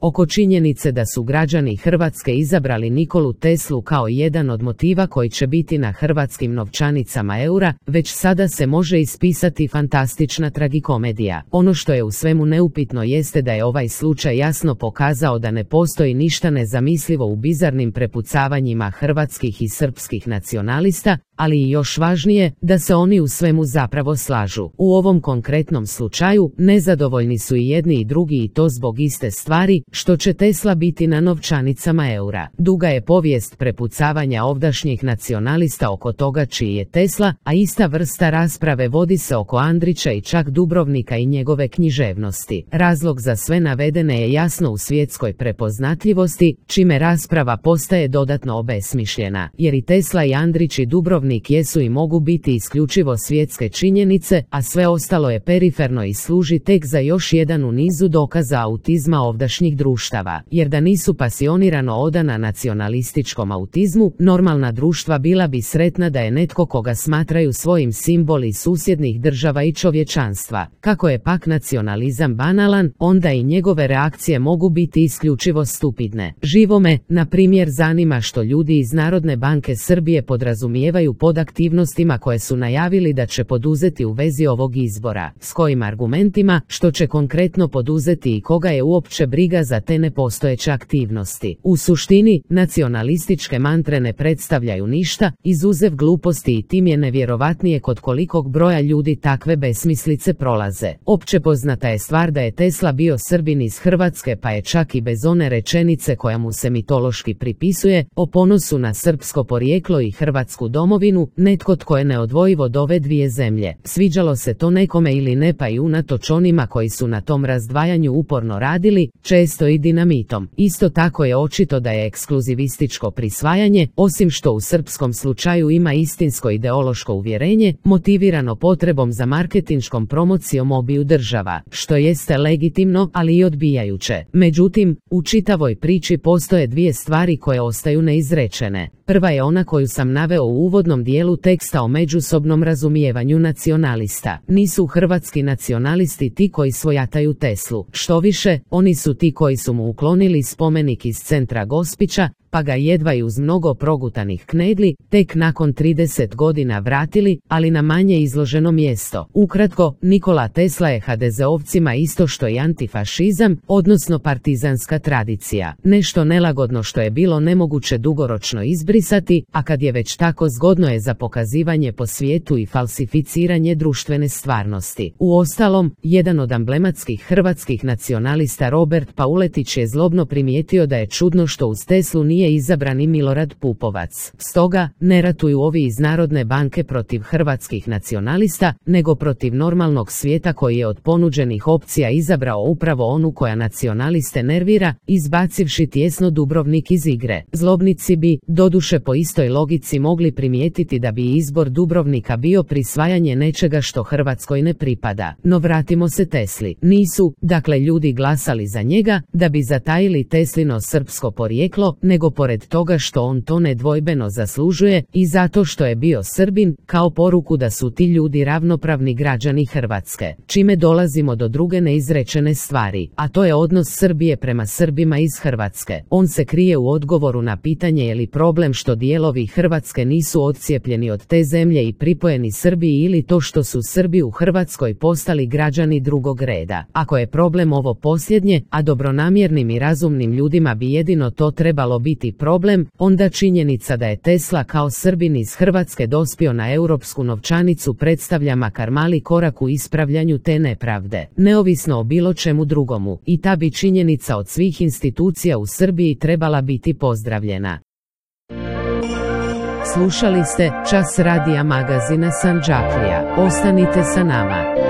Oko činjenice da su građani Hrvatske izabrali Nikolu Teslu kao jedan od motiva koji će biti na hrvatskim novčanicama eura, već sada se može ispisati fantastična tragikomedija. Ono što je u svemu neupitno jeste da je ovaj slučaj jasno pokazao da ne postoji ništa nezamislivo u bizarnim prepucavanjima hrvatskih i srpskih nacionalista, ali i još važnije, da se oni u svemu zapravo slažu. U ovom konkretnom slučaju, nezadovoljni su i jedni i drugi i to zbog iste stvari, što će Tesla biti na novčanicama eura. Duga je povijest prepucavanja ovdašnjih nacionalista oko toga čiji je Tesla, a ista vrsta rasprave vodi se oko Andrića i čak Dubrovnika i njegove književnosti. Razlog za sve navedene je jasno u svjetskoj prepoznatljivosti, čime rasprava postaje dodatno obesmišljena, jer i Tesla i Andrić i Dubrovnik jesu i mogu biti isključivo svjetske činjenice, a sve ostalo je periferno i služi tek za još jedan u nizu dokaza autizma ovdašnjih društava, jer da nisu pasionirano odana nacionalističkom autizmu, normalna društva bila bi sretna da je netko koga smatraju svojim simbol iz susjednih država i čovječanstva. Kako je pak nacionalizam banalan, onda i njegove reakcije mogu biti isključivo stupidne. Živo me, na primjer, zanima što ljudi iz Narodne banke Srbije podrazumijevaju pod aktivnostima koje su najavili da će poduzeti u vezi ovog izbora, s kojim argumentima, što će konkretno poduzeti i koga je uopće briga za te nepostojeće aktivnosti. U suštini, nacionalističke mantre ne predstavljaju ništa, izuzev gluposti, i tim je nevjerovatnije kod kolikog broja ljudi takve besmislice prolaze. Opće poznata je stvar da je Tesla bio Srbin iz Hrvatske, pa je čak i bez one rečenice koja mu se mitološki pripisuje, o ponosu na srpsko porijeklo i hrvatsku domovinu, netko tko je neodvojivo od ove dvije zemlje. Sviđalo se to nekome ili ne, pa i unatoč onima koji su na tom razdvajanju uporno radili, često i dinamitom. Isto tako je očito da je ekskluzivističko prisvajanje, osim što u srpskom slučaju ima istinsko ideološko uvjerenje, motivirano potrebom za marketinškom promocijom obiju država, što jeste legitimno, ali i odbijajuće. Međutim, u čitavoj priči postoje dvije stvari koje ostaju neizrečene. Prva je ona koju sam naveo u uvodnom dijelu teksta o međusobnom razumijevanju nacionalista. Nisu hrvatski nacionalisti ti koji svojataju Teslu. Štoviše, oni su ti koji su mu uklonili spomenik iz centra Gospića, pa ga jedva i uz mnogo progutanih knedli, tek nakon 30 godina vratili, ali na manje izloženo mjesto. Ukratko, Nikola Tesla je HDZ-ovcima isto što i antifašizam, odnosno partizanska tradicija. Nešto nelagodno što je bilo nemoguće dugoročno izbrisati, a kad je već tako, zgodno je za pokazivanje po svijetu i falsificiranje društvene stvarnosti. Uostalom, jedan od emblematskih hrvatskih nacionalista Robert Pauletić je zlobno primijetio da je čudno što uz Teslu nije izabrani Milorad Pupovac. Stoga, ne ratuju ovi iz Narodne banke protiv hrvatskih nacionalista, nego protiv normalnog svijeta koji je od ponuđenih opcija izabrao upravo onu koja nacionaliste nervira, izbacivši tjesno Dubrovnik iz igre. Zlobnici bi, doduše po istoj logici, mogli primijetiti da bi izbor Dubrovnika bio prisvajanje nečega što Hrvatskoj ne pripada. No vratimo se Tesli. Nisu, dakle, ljudi glasali za njega da bi zatajili Teslino srpsko porijeklo, nego pored toga što on to nedvojbeno zaslužuje i zato što je bio Srbin, kao poruku da su ti ljudi ravnopravni građani Hrvatske. Čime dolazimo do druge neizrečene stvari, a to je odnos Srbije prema Srbima iz Hrvatske. On se krije u odgovoru na pitanje je li problem što dijelovi Hrvatske nisu odcijepljeni od te zemlje i pripojeni Srbiji, ili to što su Srbi u Hrvatskoj postali građani drugog reda. Ako je problem ovo posljednje, a dobronamjernim i razumnim ljudima bi jedino to trebalo biti problem, onda činjenica da je Tesla kao Srbin iz Hrvatske dospio na europsku novčanicu predstavlja makar mali korak u ispravljanju te nepravde, neovisno o bilo čemu drugomu, i ta bi činjenica od svih institucija u Srbiji trebala biti pozdravljena. Slušali ste Čas radija magazina Sandžaklija. Ostanite sa nama.